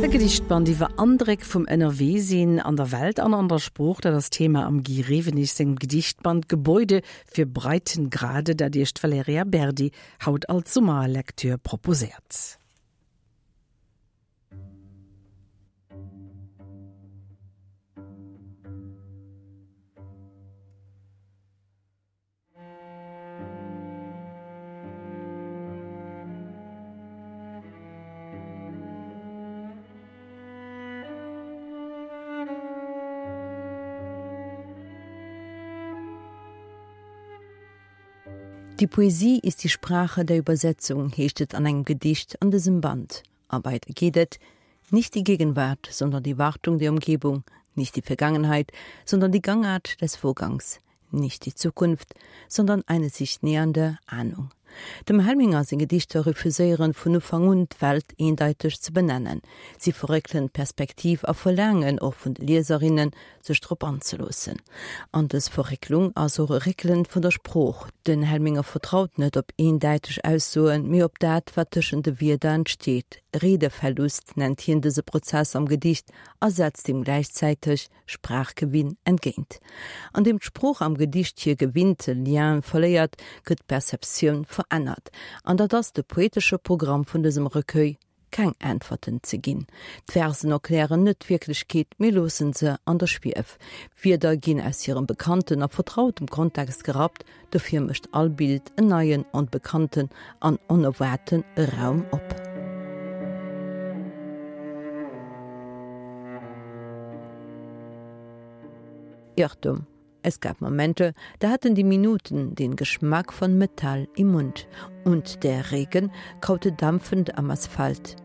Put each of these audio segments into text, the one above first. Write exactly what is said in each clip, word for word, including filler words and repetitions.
E Gedichtband iwwer Andréck vum Ënnerweesinn an der Welt an an der Sprooch, dat ass Thema am Guy Rewenig sengem Gedichtband Gebäude für Breitengrade, dat Iech d'Valerija Berdi haut als Summerlektür proposéiert. Die Poesie ist die Sprache der Übersetzung, heescht et an engem Gedicht an dësem Band. A weider geet et, Nicht die Gegenwart, sondern die Wartung der Umgebung, nicht die Vergangenheit, sondern die Gangart des Vorgangs, nicht die Zukunft, sondern eine sich nähernde Ahnung. Dem Helminger seng Gedichter refuséieren vun Ufank un d'Welt eendeiteg ze benennen. Si verréckelen d'Perspektiv a verlaangen och vun de Lieserinnen, sech drop anzeloossen. An dës Verrécklung ass och e Réckelen vun der Sprooch. Den Helminger vertraut net op eendeiteg Aussoen, mee op dat, wat tëschent de Wierder entsteet. Redeverlust nennt hien dëse Prozess am Gedicht a setzt him gläichzäiteg Sprachgewinn entgéint. An deem d'Sprooch am Gedicht hir gewinnte Liene verléiert, gëtt d'Perceptioun verännert. An dat ass de poetesche Programm vun dësem Recueil, keng Äntwerten ze ginn. D'Versen erklären net d'Wierklechkeet, mee loossen se an der Schwief. Wierder ginn aus hirem bekannten a vertrautem Kontext gerappt, dofir mécht all Bild en neien, onbekannten an onerwaarten Raum op. Irrtum. Es gab Momente, da hatten die Minuten den Geschmack von Metall im Mund und der Regen kaute dampfend am Asphalt.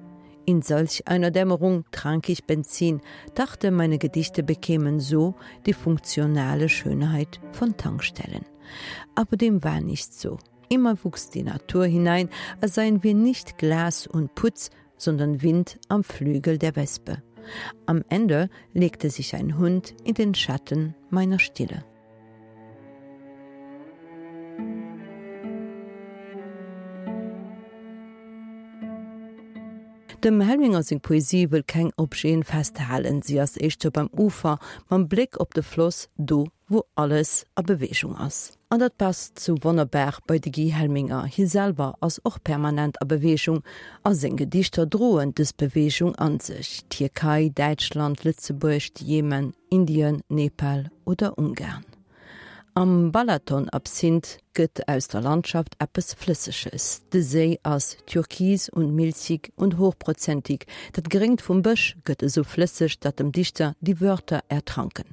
In solch einer Dämmerung trank ich Benzin, dachte, meine Gedichte bekämen so die funktionale Schönheit von Tankstellen. Aber dem war nicht so. Immer wuchs die Natur hinein, als seien wir nicht Glas und Putz, sondern Wind am Flügel der Wespe. Am Ende legte sich ein Hund in den Schatten meiner Stille. Dem Helminger seng Poesie wëll keng Objeten festhalen, si ass éischter beim Ufer, mam Bléck op de Floss, do wou alles a Beweegung ass. An dat passt sou wonnerbar bei de Guy Helminger, hie selwer ass och permanent a Beweegung a seng Gedichter droen dës Beweegung an sech, Tierkei, Däitschland, Lëtzebuerg, de Jemen, Indien, Nepal oder Ungarn. Am Balaton Absinth gëtt aus der Landschaft eppes Flësseges. De Séi ass türkis und milchig und hochprozentig, dat Gréngt vum Bësch gëtt esou flësseg, datt dem Dichter die Wörter ertranken.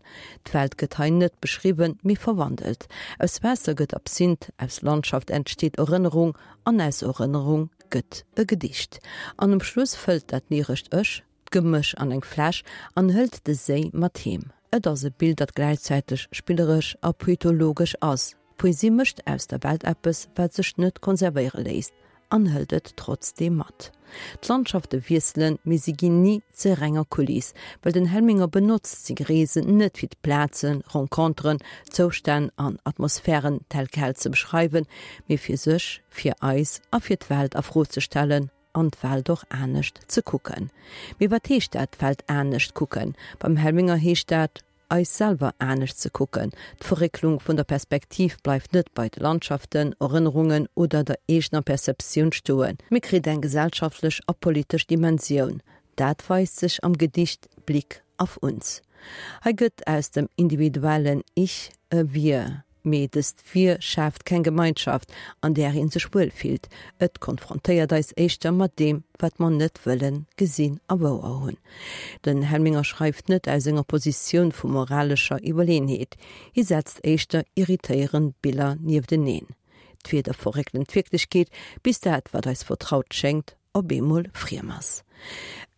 D'Welt gëtt hei net beschriwwen, mee verwandelt. Aus Waasser gëtt Absinth, aus Landschaft entsteet Erënnerung an aus Erënnerung gëtt e Gedicht. An um Schluss fëllt dat lyrescht Ech d'Gemësch an eng Fläsch an hëlt de Séi mat heem. Et ass e Bild, dat gläichzäiteg spilleresch a poetologesch ass. D'Poesie mécht aus der Welt eppes, wat sech net konservéiere léisst, an hëlt et trotzdeem mat. D'Landschafte wiesselen, mee si ginn ni zur renger Kuliss, well den Helminger benotzt seng Reesen net fir d'Plazen, Renconteren, Zoustänn an Atmosphären tel quel ze beschreiwen, mee fir sech, fir eis a fir d'Welt a Fro ze stellen an d'Welt och anescht ze kucken. Mee wat heescht dat, d'Welt anescht kucken? Beim Helminger heescht dat, eis selwer anescht ze kucken. D'Verrécklung vun der Perspektiv bleift net bei de Landschaften, Erënnerungen oder der eegener Perceptioun stoen, mee kritt eng gesellschaftlech a politesch Dimensioun. Dat weist sech am Gedicht Blick auf uns. Hei gëtt aus dem individuellen Ich e Wir. Mee dëst Wir schaaft keng Gemeinschaft, an där ee sech wuel fillt. Et konfrontéiert eis éischter mat deem, wat mer net wëllen gesinn a wouer hunn. Den Helminger schreift net aus enger Positioun vu moralescher Iwwerleenheet. Hie setzt éischter irritéierend Biller niefteneen. D'Wierder verréckelen d'Wierklechkeet, bis dat, wat eis vertraut schéngt, op eemol friem ass.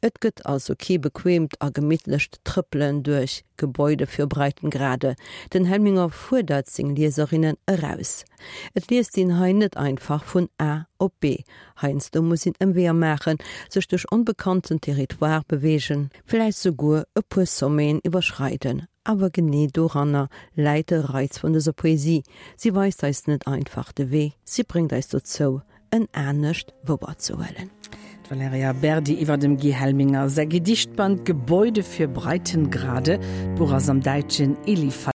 Et gëtt also kee bequeemt a gemittlecht Trëppelen duerch Gebäude für Breitengrade. Den Helminger fuerdert seng Lieserinnen eraus. Et liest een hei net einfach vun A op B. Heiansdo muss een Ëmweeër maachen, sech duerch onbekannten Territoire beweegen, vläicht souguer e puer Sommeten iwwerschreiden. Awer genee doranner läit de Reiz vun dëser Poesie, Si weist eis net einfach de Wee, si bréngt eis dozou, en anescht wouerzehuelen. Valerija Berdi iwwer dem Guy Helminger säi Gedichtband Gebäude für Breitengrade, d'Buch ass am däitschen Eli